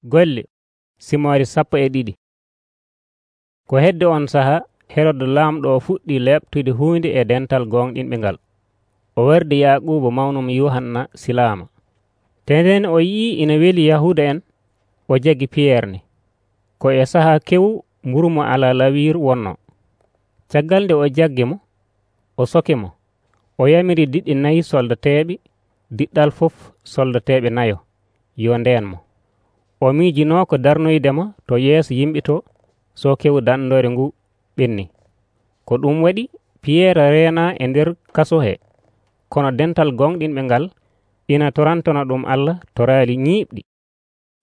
Golle simoore 12. Ko hedde on saha Herod laamɗo o fuɗɗi leɓtude huunde e dental gonɗinɓe ngal. O wardi Yaaquuba mawnum Yuhanna silaama. Tenden o yi'i ina weli Yahuuda en, o jaggi Piyeerne. Ko e saha kewu mburu mo alaa lawiiru wonnoo. Caggal nde o jaggi mo, o soke mo. O yamiri diɗɗi 4 soldateeɓe, diɗɗal fof soldateeɓe 4 yo ndeen mo. O miijinoo ko darnoydemo to yeeso yimɓe to so kewu danndore ngu ɓennii. Ko ɗum waɗi Piyeer reenaa e nder kaso he, kono dental gonɗinɓe ngal ina torantono ɗum Allah to raali ñiiɓɗi.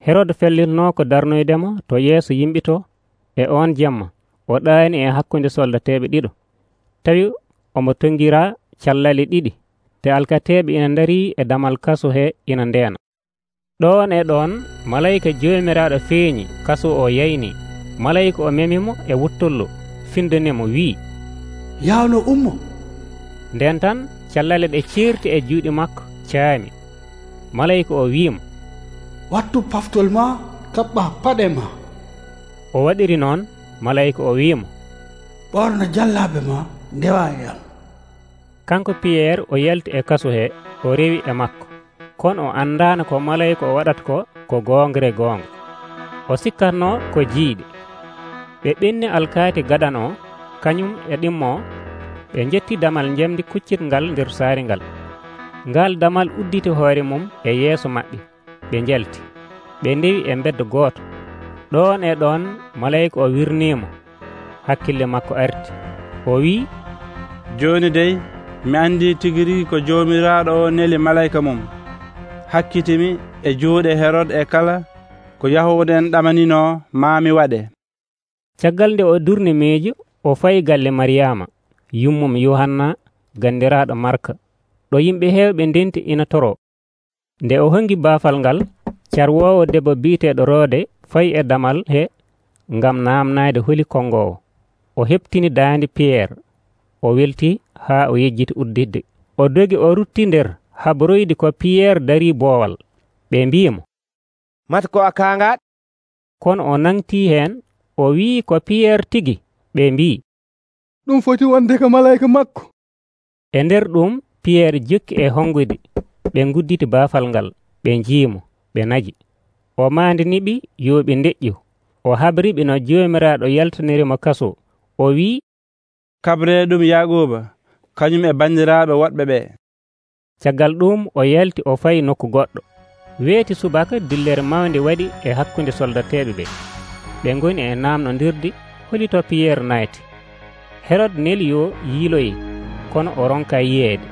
Herod fellitnoo ko darnoydemo to yeeso yimɓe to e on jemma o ɗaani e hakkunde soldateeɓe ɗiɗo, tawi omo tongiraa callale 2 te alkateeɓe ina ndarii e damal kaso he ina ndeena. Ɗoon e ɗoon malayika joomiraaɗo feeñi kaso o yaynii. Malayika o memimo e wuttollo findinimo wi'i, “Yawno ummo!” Nden tan callale ɗe ceerti e juuɗe makko caami. Malayika o wi'imo, “Wattu paftol ma, kaɓɓa paɗe ma.” O waɗiri noon. Malayika o wi'imo, “Ɓorna jallaaɓe ma, ndewa e am.” Kanko Piyeer o yalti e kaso he, o rewi e makko, kono o anndaano ko malayika o waɗata ko goongre goonga. O sikkatnoo ko jiiɗe. Ɓe ɓenni alkaati gaɗan o, kañum e ɗimmo o, ɓe njetti damal njamdi kuccitngal nder saare ngal. Ngal damal udditi hoore mum e yeeso maɓɓe, ɓe njalti. Ɓe ndewi e mbedda gooto. Ɗoon e ɗoon malayika o wirniimo. Hakkille makko arti. O wi'i, “Jooni dey mi anndi tigi rigi ko Joomiraaɗo o neli malayika mum hakkitimi e juuɗe Herod e kala ko Yahuuda en ɗamaninoo maa mi waɗe.” Caggal nde o durni miijo, o fayi galle Maryaama, yummum Yuhanna gandiraaɗo Marka, ɗo yimɓe heewɓe ndenti ina toroo. Nde o hongi baafal ngal, carwoowo debbo biiteeɗo Roode fayi e damal he ngam naamnaade holi konngoowo. O heɓtini daande Piyeer. O weltii haa o yejjiti uddidde. O dogi o rutti nder haboroyde ko Piyeer darii boowal. Ɓe mbi'imo, “Mata ko a kaangaaɗo?” Kono o nangtii heen, o wi'i ko Piyeer tigi. Ɓe mbi'i, “Ɗum foti wonde ko malayika makko.” E nder ɗum Piyeer jokki e hongude. Ɓe ngudditi baafal ngal. Ɓe njiimo, ɓe naji. O maandiniɓe yo ɓe ndeƴƴu. O habriɓe no Joomiraaɗo yaltinirimo kaso. O wi'i, “Kabree ɗum Yaaquuba, kañum e banndiraaɓe woɗɓe ɓee.” Caggal ɗum o yalti o fayi nokku goɗɗo. Weeti subaka dillere mawnde waɗi e hakkunde soldateeɓe ɓe. Ɓe ngoni e naamnondirde holito Piyeer naati. Herod neli yo yiiloye, kono o ronka yiyeede.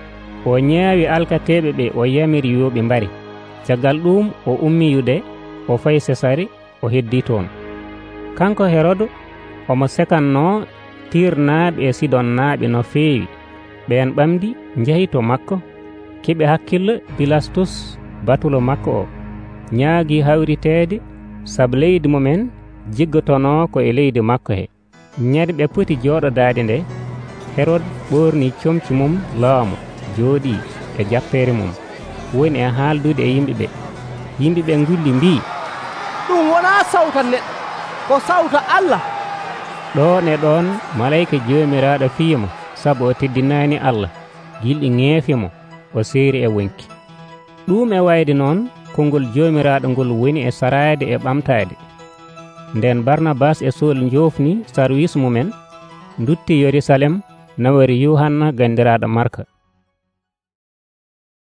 O ñaawi alkateeɓe ɓe o yamiri yo ɓe mbari. Caggal ɗum o ummi yude, o fayi Sesare, o heddii toon. Kanko Herod omo sekannoo Tiir-naaɓe e Sidon-naaɓe no feewi. Ɓeen ɓamdi njahi to makko, keɓi hakkille Bilastus batulo makko o, ñaagii hawriteede sabu leydi mumen jiggotonoo ko e leydi makko he. Ñande ɓe poti jooɗodaade nde, Herod ɓoornii comci mum laamu, jooɗii e jappeere mum, woni e haaldude e yimɓe ɓe. Yimɓe ɓe ngulli mbii, “Ɗum wonaa sawta neɗɗo, ko sawta Allah.” Ɗoon e ɗoon malayika Joomiraaɗo fiimo sabu o teddinaani Allah. Gilɗi ŋeefi mo, o seeri e wonki. Ɗum e wayde noon konngol Joomiraaɗo ngol woni e saraade e ɓamtaade. Nden Barnabas e Sool njoofni sarwis mumen, ndutti Yerusalem nawori Yuhanna gandiraaɗo Marka.